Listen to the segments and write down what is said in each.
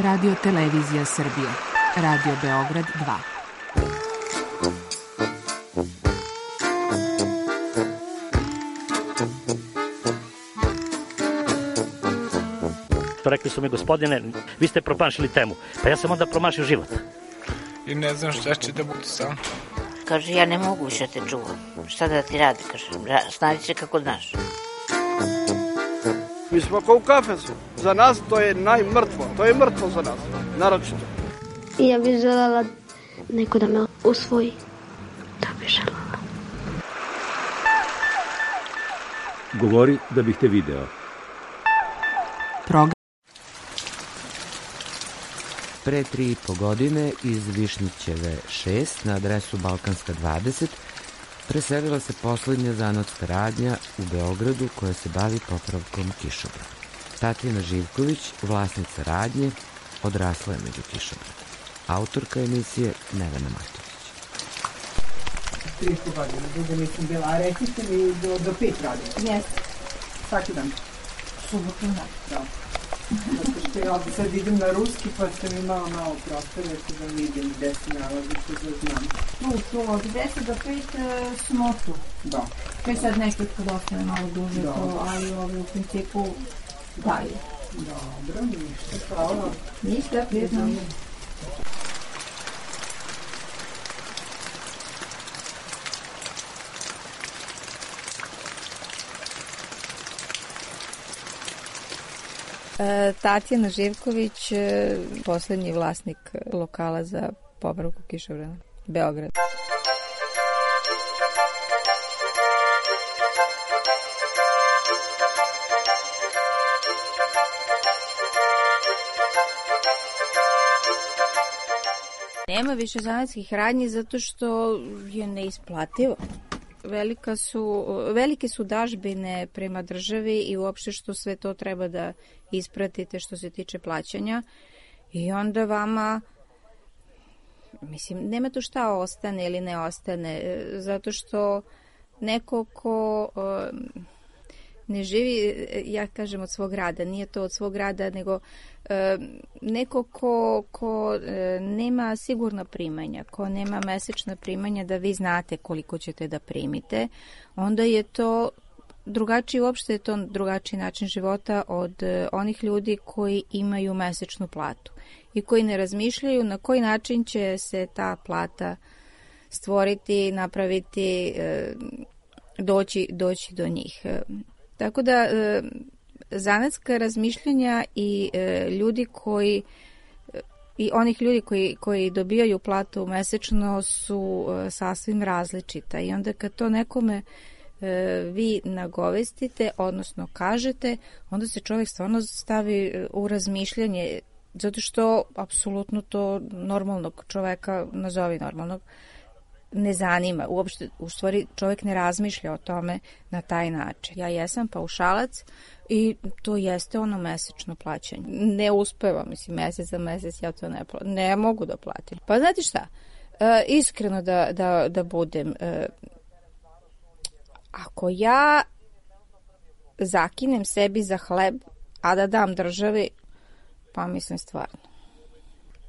Radio Televizija Srbije. Radio Beograd 2. Rekli su mi, gospodine, vi ste promašili temu. Pa ja sam onda promašio život. I ne znam šta će da bude sam. Kaže, ja ne mogu više te čuvam. Šta da ti radi, kaže, snađi se kako znaš. Mi smo kao u kafesu. Za nas to je najmrtvo. To je mrtvo za nas, naročito. I ja bih želela neko da me usvoji. To bih želela. Govori da bih te video. Program. Pre 3,5 godine iz Višnjićeve 6 na adresu Balkanska 20 preselila se poslednja zanatska radnja u Beogradu koja se bavi popravkom kišobrana. Tatjana Živković, vlasnica radnje, odrasla je među kišobranom. Autorka emisije Nevena Matović. 3,5 godina, dugo nisam bila, a recite mi do 5 radina. Jeste. Svaki dan. Subotu, da. Zato što ja sad idem na ruski, pa sam imala malo prostora da vidim gde se nalazite, da znam. Tu, od 10 do 5 smo tu. Da. To je sad nešto kad ostane malo duže, ali u principu dalje. Dobro, ništa, hvala. Ništa, prijetno. Tatjana Živković, poslednji vlasnik lokala za popravku kišobrana, Beograd. Nema više zanatskih radnji zato što je neisplativo. Velike su dažbine prema državi i uopšte što sve to treba da ispratite što se tiče plaćanja i onda vama, mislim, nema tu šta ostane ili ne ostane, zato što neko ko ne živi, ja kažem, od svog rada, nije to od svog rada, nego neko ko nema sigurna primanja, ko nema mesečna primanja da vi znate koliko ćete da primite, onda je to drugačiji, uopšte je to drugačiji način života od onih ljudi koji imaju mesečnu platu i koji ne razmišljaju na koji način će se ta plata stvoriti, napraviti, doći do njih. Tako da zanatska razmišljanja i ljudi koji i onih ljudi koji dobijaju platu mesečno su sasvim različita i onda kad to nekome vi nagovestite, odnosno kažete, onda se čovjek stvarno stavi u razmišljanje, zato što apsolutno to normalnog čoveka, nazovi normalnog, ne zanima. Uopšte, u stvari, čovjek ne razmišlja o tome na taj način. Ja jesam paušalac i to jeste ono mesečno plaćanje. Ne uspevam, mislim, mesec za mesec ja to ne mogu da platim. Pa znate šta, iskreno da budem, ako ja zakinem sebi za hleb, a da dam državi, pa mislim stvarno.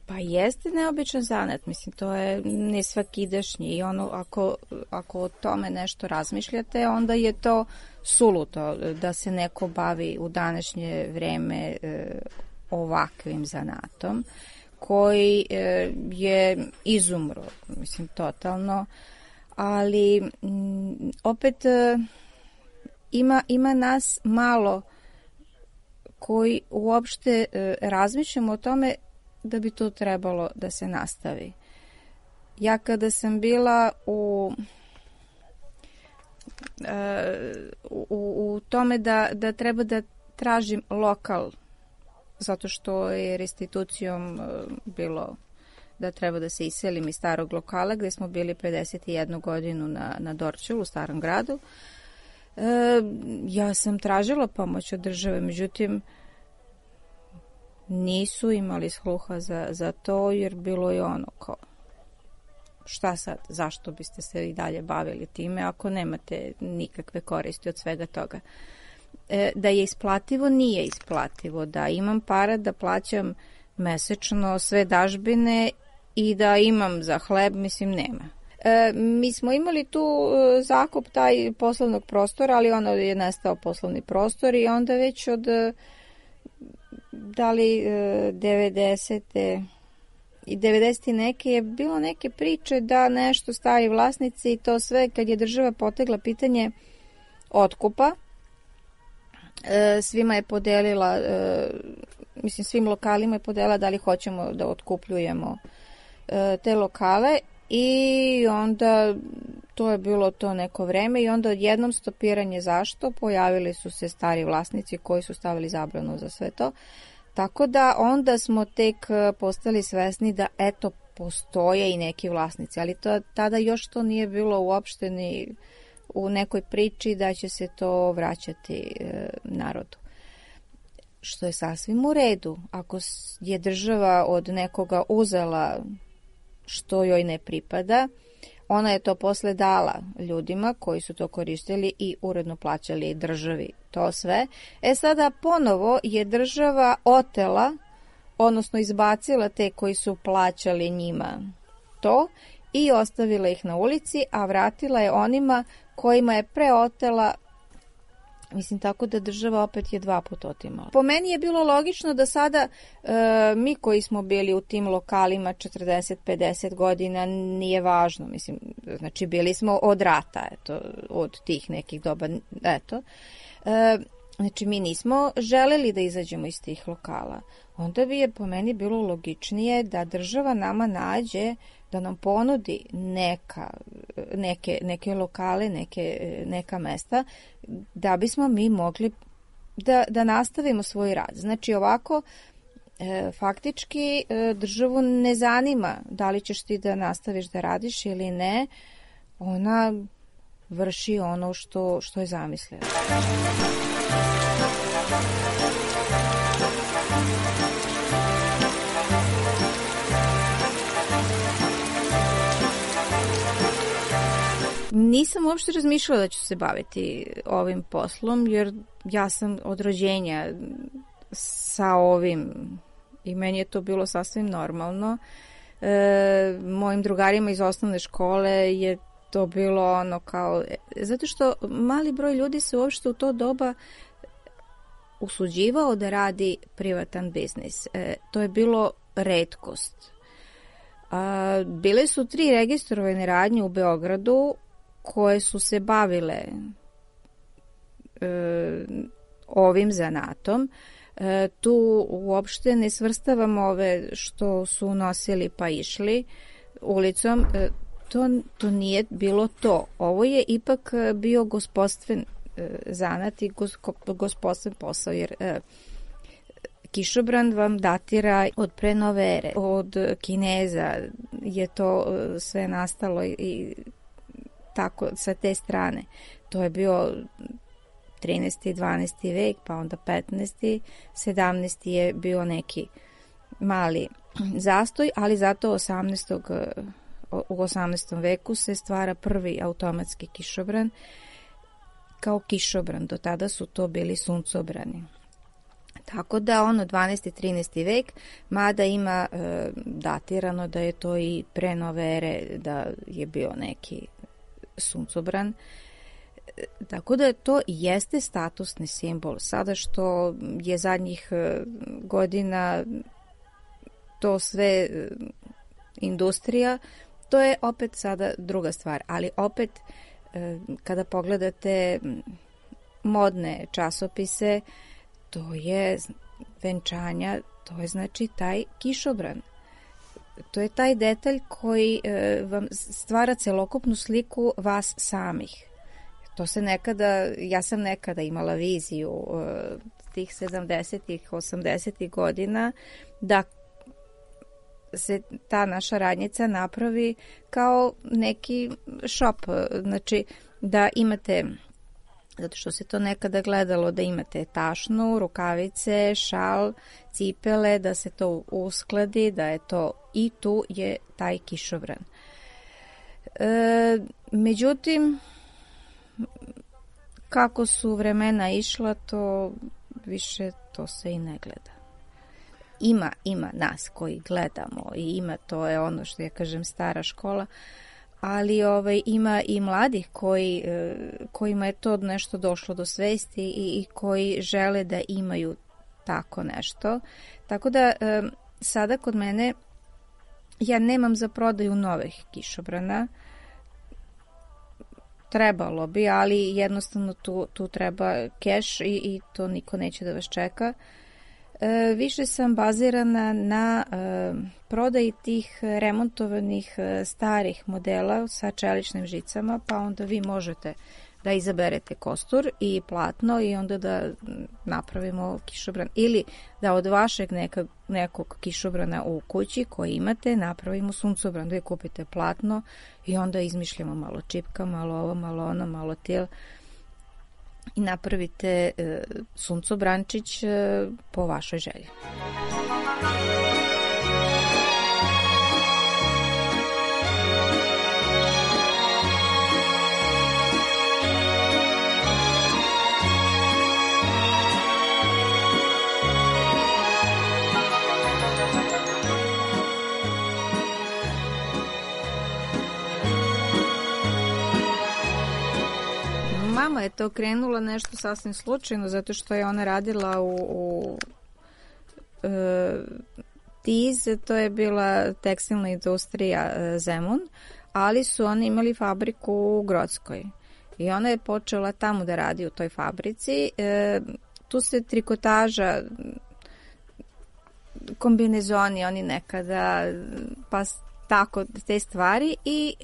Pa jeste neobičan zanat, mislim, to je nesvakidašnji i ono, ako o tome nešto razmišljate, onda je to suludo da se neko bavi u današnje vreme ovakvim zanatom, koji je izumro, mislim, totalno, ali opet ima nas malo koji uopšte razmišljamo o tome da bi to trebalo da se nastavi. Ja kada sam bila u tome da treba da tražim lokal, zato što je restitucijom bilo da treba da se iselim iz starog lokala gde smo bili pre 51 godinu na Dorćolu, u Starom gradu, ja sam tražila pomoć od države, međutim nisu imali sluha za to, jer bilo je ono kao, šta sad, zašto biste se i dalje bavili time ako nemate nikakve koristi od svega toga. Da je isplativo, nije isplativo, da imam para da plaćam mesečno sve dažbine i da imam za hleb, mislim, nema. Mi smo imali tu zakup taj poslovnog prostora, ali ono je nestao poslovni prostor i onda već od da li 90. i 90. neke je bilo neke priče da nešto stari vlasnici i to sve kad je država potegla pitanje otkupa, svima je podelila, mislim svim lokalima je podelila da li hoćemo da otkupljujemo te lokale i onda to je bilo to neko vreme i onda odjednom stopiranje zašto, pojavili su se stari vlasnici koji su stavili zabranu za sve to, tako da onda smo tek postali svesni da eto postoje i neki vlasnici, ali tada još to nije bilo uopšte ni u nekoj priči da će se to vraćati narodu. Što je sasvim u redu. Ako je država od nekoga uzela što joj ne pripada, ona je to posle dala ljudima koji su to koristili i uredno plaćali državi to sve. Sada ponovo je država otela, odnosno izbacila te koji su plaćali njima to i ostavila ih na ulici, a vratila je onima kojima je preotela, mislim tako da država opet je 2 puta otimala. Po meni je bilo logično da sada mi koji smo bili u tim lokalima 40-50 godina nije važno, mislim, znači bili smo od rata, eto, od tih nekih doba, eto, znači mi nismo želeli da izađemo iz tih lokala. Onda bi je po meni bilo logičnije da država nama nađe, da nam ponudi neke lokale, neka mesta, da bismo mi mogli da nastavimo svoj rad. Znači ovako, faktički državu ne zanima da li ćeš ti da nastaviš da radiš ili ne, ona vrši ono što je zamislila. Nisam uopšte razmišljala da ću se baviti ovim poslom, jer ja sam od rođenja sa ovim i meni je to bilo sasvim normalno. Mojim drugarima iz osnovne škole je to bilo ono kao, zato što mali broj ljudi se uopšte u to doba usuđivao da radi privatan biznis. To je bilo retkost. Bile su 3 registrovane radnje u Beogradu koje su se bavile ovim zanatom. Tu uopšte ne svrstavam ove što su nosili pa išli ulicom. To nije bilo to. Ovo je ipak bio gospodstven zanat i gospodstven posao, jer kišobran vam datira od pre nove ere. Od Kineza je to sve nastalo i tako sa te strane. To je bio 13. 12. vek, pa onda 15. 17. je bio neki mali zastoj, ali zato u 18. veku se stvara prvi automatski kišobran kao kišobran. Do tada su to bili suncobrani. Tako da 12. 13. vek, mada ima datirano da je to i pre nove ere, da je bio neki suncobran. Tako da to jeste statusni simbol. Sada što je zadnjih godina to sve industrija, to je opet sada druga stvar. Ali opet kada pogledate modne časopise, to je venčanja, to je znači taj kišobran. To je taj detalj koji vam stvara celokupnu sliku vas samih. To se nekada, ja sam nekada imala viziju tih 70-ih, 80-ih godina da se ta naša radnjica napravi kao neki šop, znači da imate, zato što se to nekada gledalo, da imate tašnu, rukavice, šal, cipele, da se to uskladi, da je to i tu je taj kišobran. Međutim, kako su vremena išla, to više to se i ne gleda. ima nas koji gledamo i ima, to je ono što ja kažem stara škola, ali ima i mladih kojima je to nešto došlo do svesti i koji žele da imaju tako nešto. Tako da sada kod mene ja nemam za prodaju novih kišobrana. Trebalo bi, ali jednostavno tu treba keš i to niko neće da vas čeka. Više sam bazirana na prodaji tih remontovanih starih modela sa čeličnim žicama, pa onda vi možete da izaberete kostur i platno i onda da napravimo kišobran. Ili da od vašeg nekog kišobrana u kući koji imate napravimo suncobran, da kupite platno i onda izmišljamo malo čipka, malo ovo, malo ono, malo til i napravite suncobrančić po vašoj želji. Mama je to krenula nešto sasvim slučajno, zato što je ona radila u TIZ, to je bila tekstilna industrija Zemun, ali su oni imali fabriku u Grockoj. I ona je počela tamo da radi u toj fabrici. Tu se trikotaža, kombinezoni, oni nekada, pa tako te stvari i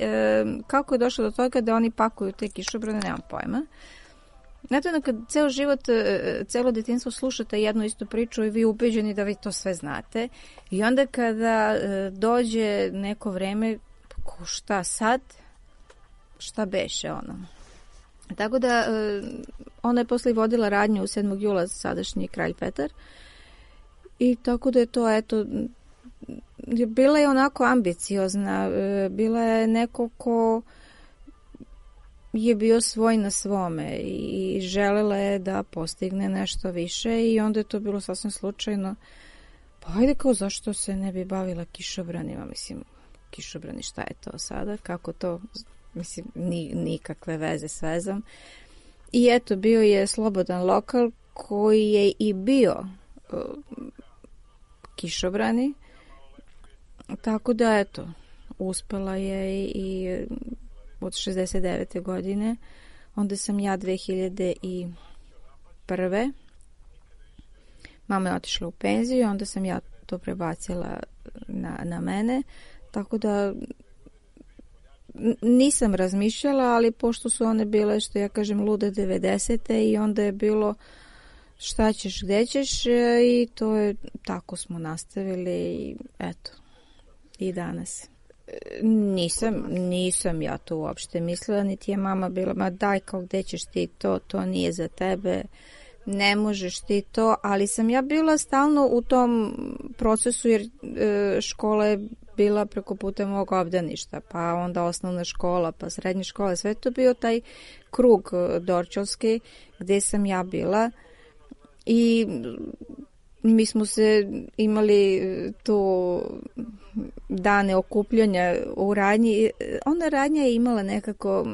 kako je došlo do toga da oni pakuju te kišobrane, nemam pojma. Znate, kad ceo život, celo detinjstvo slušate jednu istu priču i vi ubeđeni da vi to sve znate i onda kada dođe neko vreme, šta sad, šta beše ono. Tako da ona je posle vodila radnju u 7. jula sadašnji kralj Petar i tako da je to, eto, bila je onako ambiciozna, bila je neko ko je bio svoj na svome i želela je da postigne nešto više i onda je to bilo sasvim slučajno. Pa ajde, kao zašto se ne bi bavila kišobranima, mislim, kišobrani, šta je to sada, kako to, mislim, nikakve veze s vezom. I eto, bio je slobodan lokal koji je i bio kišobrani. Tako da, eto, uspela je i od 69. godine. Onda sam ja 2001. Mama je otišla u penziju, onda sam ja to prebacila na mene. Tako da nisam razmišljala, ali pošto su one bile, što ja kažem, lude 90. i onda je bilo šta ćeš, gde ćeš i to je, tako smo nastavili i eto. I danas. Nisam ja to uopšte mislila, niti je mama bila, ma daj, kao gde ćeš ti to nije za tebe, ne možeš ti to, ali sam ja bila stalno u tom procesu jer škola je bila preko puta mog obdaništa, pa onda osnovna škola, pa srednja škola, sve to bio taj krug dorčolski gde sam ja bila i mi smo se imali tu dane okupljanja u radnji. Ona radnja je imala nekako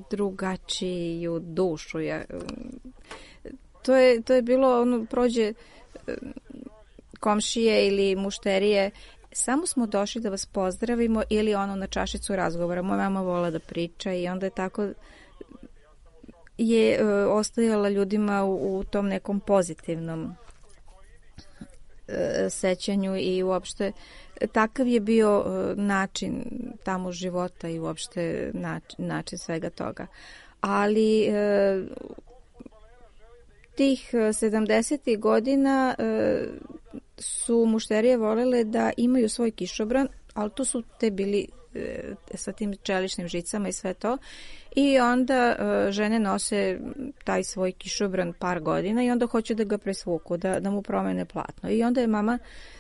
drugačiju dušu. To je bilo, ono, prođe komšije ili mušterije, samo smo došli da vas pozdravimo ili ono na čašicu razgovora. Moja mama vola da priča i onda je tako je ostajala ljudima u tom nekom pozitivnom sećanju i uopšte takav je bio način tamo života i uopšte način svega toga. Ali tih 70. godina su mušterije volele da imaju svoj kišobran, ali to su te bili sa tim čeličnim žicama i sve to. I onda žene nose taj svoj kišobran par godina i onda hoće da ga presvuku, da mu promene platno. I onda je mama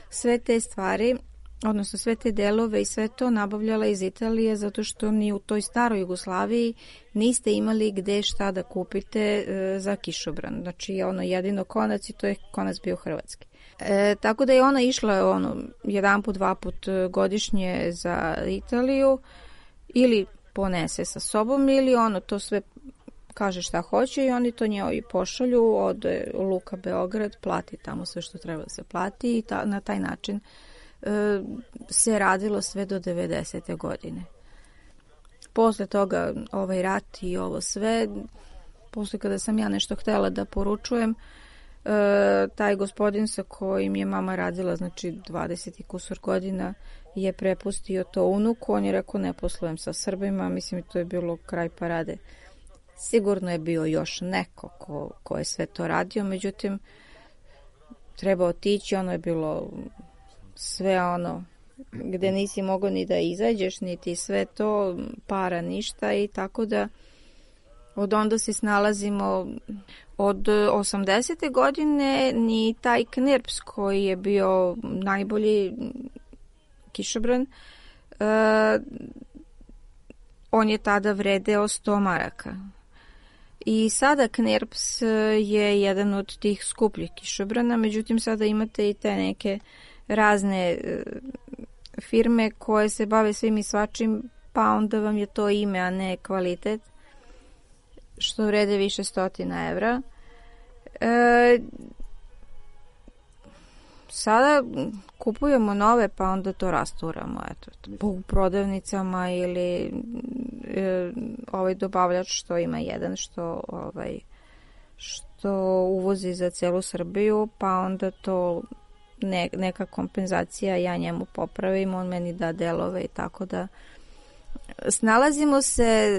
sve te stvari odnosno sve te delove i sve to nabavljala iz Italije zato što ni u toj staroj Jugoslaviji niste imali gde šta da kupite za kišobran. Znači ono jedino konac i to je konac bio hrvatski. Tako da je ona išla jedan put, dva put godišnje za Italiju ili ponese sa sobom ili to sve kaže šta hoće i oni to njoj pošalju od Luka Beograd, plati tamo sve što treba da se plati i na taj način se radilo sve do 90. godine. Posle toga ovaj rat i ovo sve, posle kada sam ja nešto htela da poručujem, taj gospodin sa kojim je mama radila, znači 20 i kusur godina, je prepustio to unuku. On je rekao ne poslujem sa Srbima, mislim to je bilo kraj parade. Sigurno je bio još neko ko je sve to radio, međutim treba otići, ono je bilo sve gde nisi mogao ni da izađeš, niti sve to, para ništa i tako da od onda se snalazimo. Od 80. godine ni taj Knirps koji je bio najbolji kišobran, on je tada vredeo 100 maraka. I sada Knirps je jedan od tih skupljih kišobrana, međutim sada imate i te neke razne firme koje se bave svim i svačim, pa onda vam je to ime, a ne kvalitet, što vrede više 100 evra. Sada kupujemo nove, pa onda to rasturamo u prodavnicama ili ovaj dobavljač što ima jedan što uvozi za celu Srbiju, pa onda to neka kompenzacija, ja njemu popravim, on meni da delove i tako da snalazimo se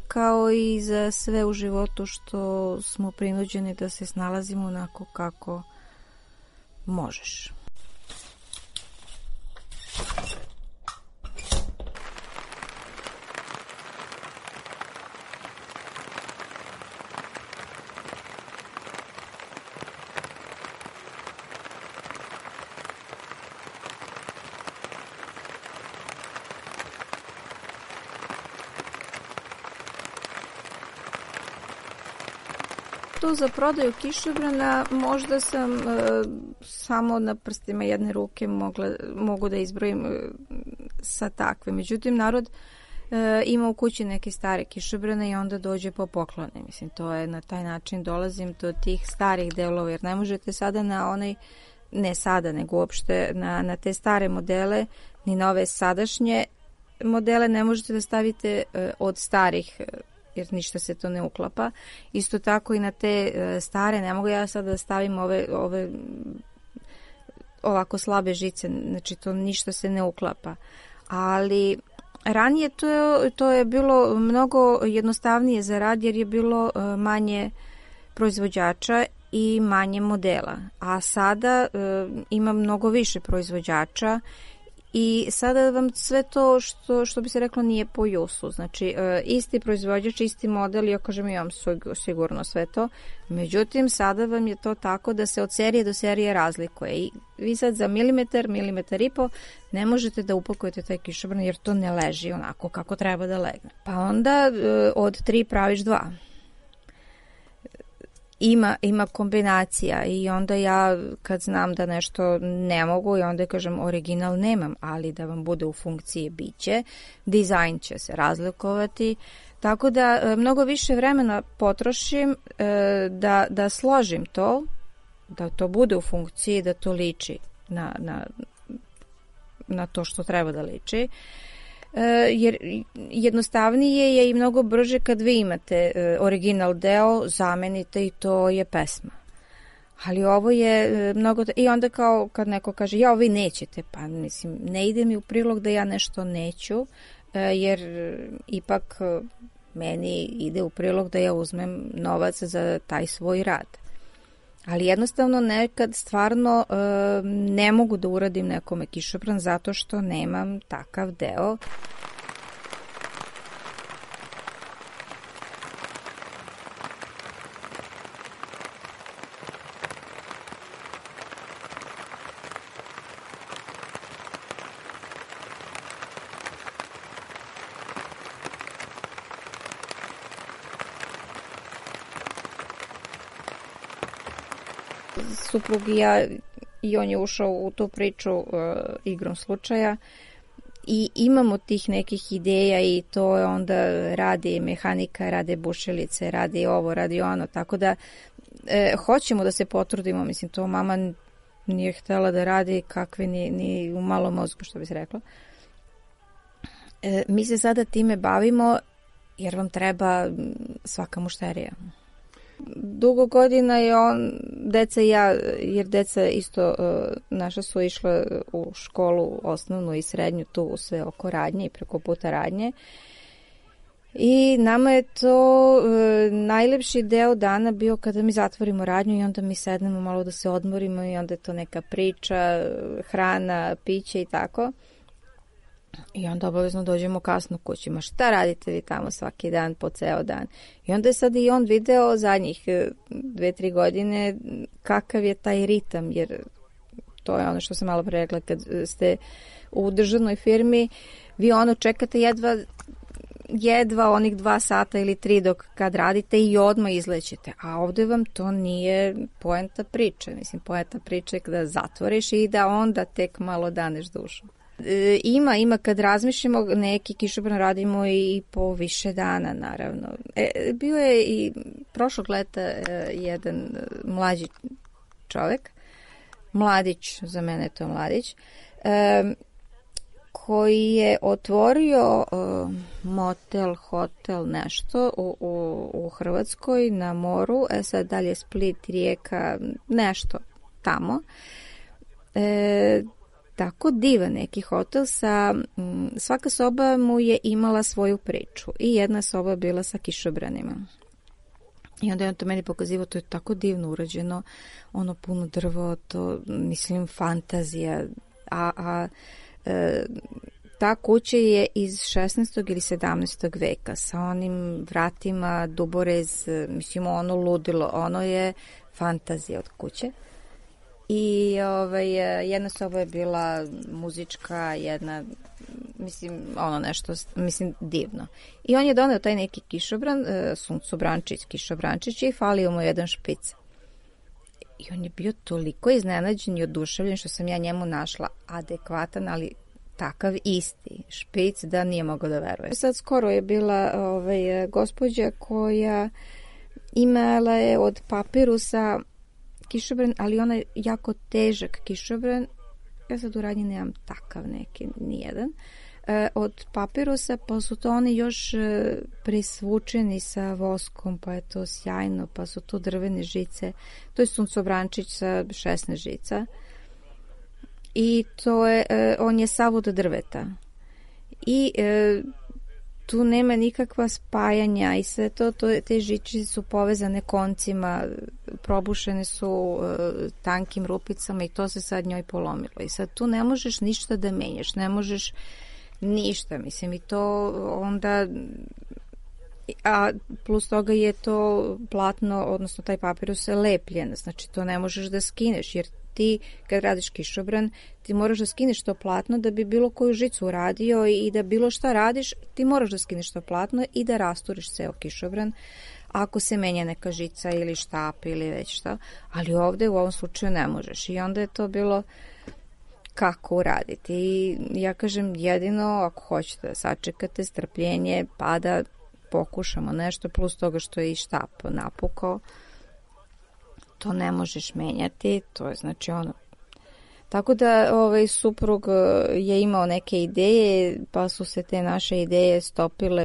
kao i za sve u životu što smo prinuđeni da se snalazimo onako kako možeš. To za prodaju kišobrana možda sam samo na prstima jedne ruke mogu da izbrojim sa takve. Međutim, narod ima u kući neke stare kišobrane i onda dođe po poklone. Mislim, to je na taj način dolazim do tih starih delova, jer ne možete sada na ne sada, nego uopšte na te stare modele, ni na ove sadašnje modele ne možete da stavite od starih, jer ništa se to ne uklapa. Isto tako i na te stare, ne mogu ja sad da stavim ove ovako slabe žice, znači to ništa se ne uklapa. Ali ranije to je bilo mnogo jednostavnije za rad, jer je bilo manje proizvođača i manje modela. A sada ima mnogo više proizvođača i sada vam sve to što bi se reklo nije po jusu. Znači, isti proizvođač, isti model, ja kažem imam sigurno sve to. Međutim, sada vam je to tako da se od serije do serije razlikuje. I vi sad za milimetar i po ne možete da upakujete taj kišobran jer to ne leži onako kako treba da legne. Pa onda od 3 praviš 2. Ima kombinacija i onda ja kad znam da nešto ne mogu i onda kažem original nemam, ali da vam bude u funkciji biće, dizajn će se razlikovati, tako da mnogo više vremena potrošim da složim to, da to bude u funkciji, da to liči na to što treba da liči. Jer jednostavnije je i mnogo brže kad vi imate original deo, zamenite i to je pesma. Ali ovo je mnogo... I onda kao kad neko kaže, ja, vi nećete, pa mislim, ne ide mi u prilog da ja nešto neću, jer ipak meni ide u prilog da ja uzmem novac za taj svoj rad. Ali jednostavno nekad stvarno ne mogu da uradim nekome kišobran zato što nemam takav deo. Suprug i ja, i on je ušao u tu priču igrom slučaja. I imamo tih nekih ideja i to je onda radi mehanika, rade bušilice, radi ovo, radi ono, tako da hoćemo da se potrudimo, mislim, to mama nije htjela da radi kakve ni u malom mozgu, što bi se reklo. Mi se sada time bavimo jer vam treba svaka mušterija. Dugo godina je deca i ja, jer deca isto naša su išle u školu osnovnu i srednju tu sve oko radnje i preko puta radnje. I nama je to najlepši deo dana bio kada mi zatvorimo radnju i onda mi sednemo malo da se odmorimo i onda je to neka priča, hrana, piće i tako. I onda obavezno dođemo kasno kući. Ma šta radite vi tamo svaki dan, po ceo dan? I onda je sad i on video zadnjih 2-3 godine kakav je taj ritam, jer to je ono što sam malo pre rekla, kad ste u državnoj firmi, vi čekate jedva onih 2 sata ili 3 dok kad radite i odmah izlećete. A ovdje vam to nije poenta priče. Mislim, poenta priče je kada zatvoriš i da onda tek malo daneš dušu. Ima kad razmišljamo, neki kišobran radimo i po više dana, naravno. Bio je i prošlog leta jedan mlađi čovjek, mladić, za mene je to mladić, koji je otvorio motel, hotel, nešto u Hrvatskoj na moru, sad dalje Split, Rijeka, nešto tamo. Tako divan neki hotel svaka soba mu je imala svoju priču i jedna soba bila sa kišobranima. I onda je on to meni pokazivao, to je tako divno urađeno, puno drvo, to mislim fantazija, ta kuća je iz 16. ili 17. veka sa onim vratima, duborez, mislim ludilo, ono je fantazija od kuće. I jedna soba je bila muzička, jedna, mislim, nešto, mislim, divno. I on je doneo taj neki kišobran, suncobrančić, kišobrančić i falio mu jedan špic. I on je bio toliko iznenađen i oduševljen što sam ja njemu našla adekvatan, ali takav isti špic da nije mogao da veruje. Sad skoro je bila gospođa koja imala je od papirusa kišobran, ali ona je jako težak kišobran. Ja sad u radnji nemam takav neki, nijedan. Od papirusa, pa su to oni još presvučeni sa voskom, pa je to sjajno, pa su to drvene žice. To je suncobrančić sa 16 žica. I to je, on je sav od drveta. I tu nema nikakva spajanja i sve te žičice su povezane koncima, probušene su tankim rupicama i to se sad njoj polomilo. I sad tu ne možeš ništa da menjaš, ne možeš ništa, mislim, i to onda, a plus toga je to platno, odnosno taj papirus je lepljen, znači to ne možeš da skineš, jer ti kad radiš kišobran, ti moraš da skineš to platno da bi bilo koju žicu uradio i da bilo šta radiš, ti moraš da skineš to platno i da rasturiš ceo kišobran ako se menja neka žica ili štap ili već šta, ali ovde u ovom slučaju ne možeš i onda je to bilo kako uraditi. I ja kažem, jedino ako hoćete da sačekate strpljenje pa da pokušamo nešto, plus toga što je i štap napukao, to ne možeš menjati, to je znači ono. Tako da suprug je imao neke ideje, pa su se te naše ideje stopile.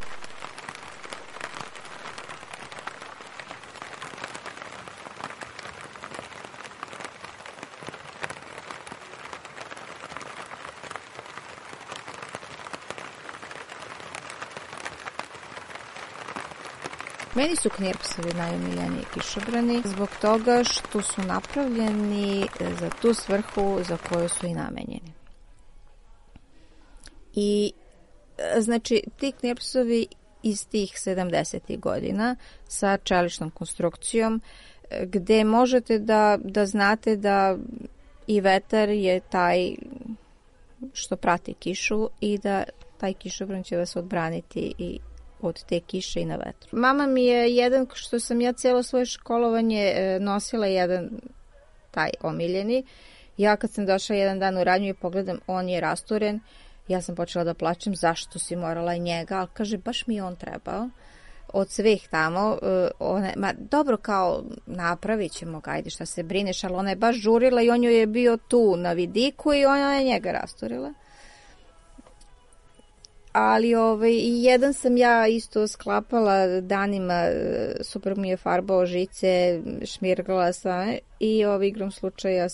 Meni su knirpsovi najomiljeniji kišobrani zbog toga što su napravljeni za tu svrhu za koju su i namenjeni. I znači ti knirpsovi iz tih 70. godina sa čeličnom konstrukcijom gde možete da znate da i vetar je taj što prati kišu i da taj kišobran će vas odbraniti i od te kiše i na vetru. Mama mi je jedan, što sam ja cijelo svoje školovanje nosila jedan taj omiljeni. Ja kad sam došla jedan dan u radnju i pogledam, on je rasturen, ja sam počela da plačem, zašto si morala njega, ali kaže, baš mi je on trebao. Od svih tamo, dobro, kao napravit ćemo ga, ajde šta se brineš, ali ona je baš žurila i on joj je bio tu na vidiku i ona je njega rasturila. Ali i jedan sam ja isto sklapala danima, super mi je farbao žice, šmirgala sam i igrom slučaja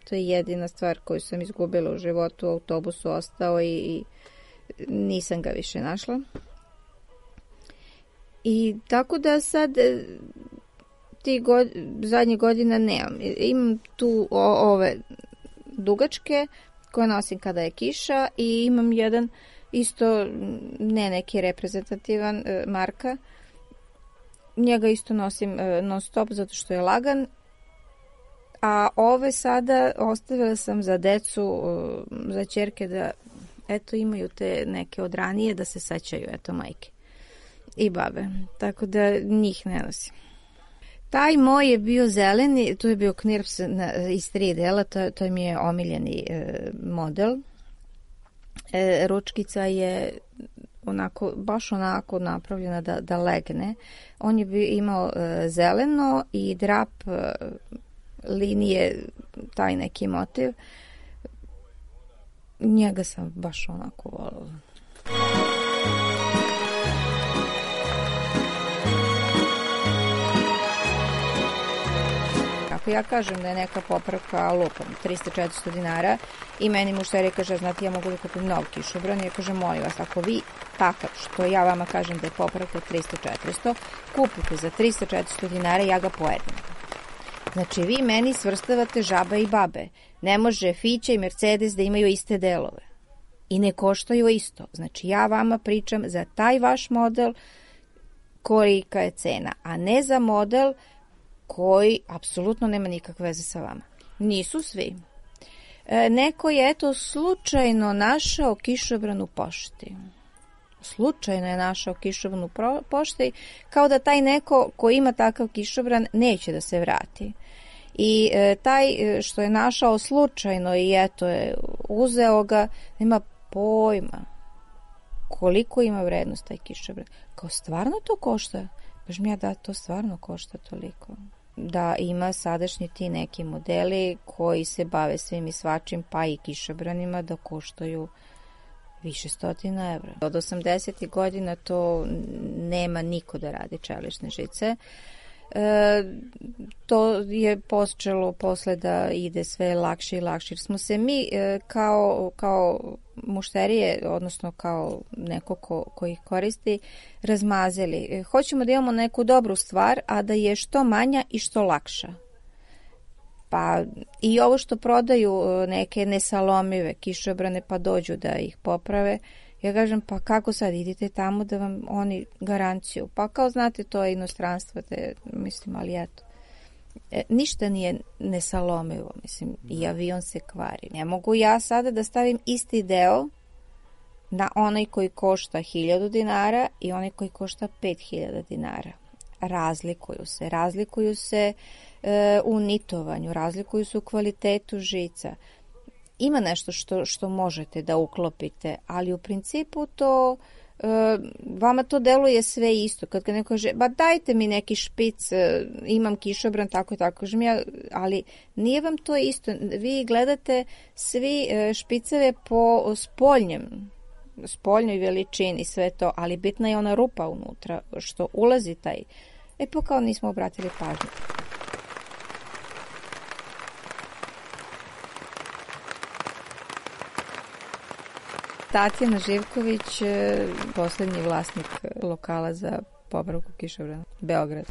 to je jedina stvar koju sam izgubila u životu, u autobusu ostao i nisam ga više našla. I tako da sad zadnje godina nemam. Imam tu ove dugačke koje nosim kada je kiša i imam jedan isto ne neki reprezentativan marka. Njega isto nosim non stop zato što je lagan. A ove sada ostavila sam za decu, za ćerke da eto imaju te neke od ranije da se sećaju, eto majke i babe, tako da njih ne nosim. Taj moj je bio zeleni, to je bio Knirps iz 3 dela, to mi je omiljeni model. Ručkica je baš onako napravljena da legne. On je imao zeleno i drap linije, taj neki motiv. Njega sam baš onako volila. Ako ja kažem da je neka popravka lupom 300-400 dinara i meni mušterija kaže, znate, ja mogu da kupim nov kišobran, ja kažem, molim vas, ako vi takav što ja vama kažem da je popravka 300-400, kupite za 300-400 dinara, ja ga pojedem. Znači, vi meni svrstavate žabe i babe. Ne može Fića i Mercedes da imaju iste delove. I ne koštaju isto. Znači, ja vama pričam za taj vaš model kolika je cena, a ne za model koji apsolutno nema nikakve veze sa vama. Nisu svi. Neko je, eto, slučajno našao kišobran u pošti. Slučajno je našao kišobran u pošti, kao da taj neko ko ima takav kišobran neće da se vrati. I taj što je našao slučajno i eto je uzeo ga, nema pojma koliko ima vrednost taj kišobran. Kao stvarno to košta? Kažem ja da to stvarno košta toliko. Da ima sadašnji ti neki modeli koji se bave svim i svačim, pa i kišobranima, da koštaju više stotina evra. Od 80. godina to nema niko da radi čelične žice. To je počelo posle da ide sve lakše i lakše. Jer smo se mi kao mušterije, odnosno kao neko ko ih koristi, razmazili. Hoćemo da imamo neku dobru stvar, a da je što manja i što lakša. Pa i ovo što prodaju neke nesalomive kišobrane pa dođu da ih poprave, ja kažem, pa kako sad, idite tamo da vam oni garanciju. Pa kao znate, to je inostranstvo, mislim, ali eto. Ništa nije nesalomivo, mislim, i avion se kvari. Ne mogu ja sada da stavim isti deo na onaj koji košta 1000 dinara i onaj koji košta 5000 dinara. Razlikuju se u nitovanju, razlikuju se u kvalitetu žica. Ima nešto što možete da uklopite, ali u principu to vama to deluje sve isto. Kad neko kaže, ba dajte mi neki špic, imam kišobran, tako i tako, kažem ja, ali nije vam to isto. Vi gledate svi špiceve po spoljnoj veličini, sve to, ali bitna je ona rupa unutra, što ulazi taj. Pa kao nismo obratili pažnju. Tatjana Živković, poslednji vlasnik lokala za popravku kišobrana, Beograd.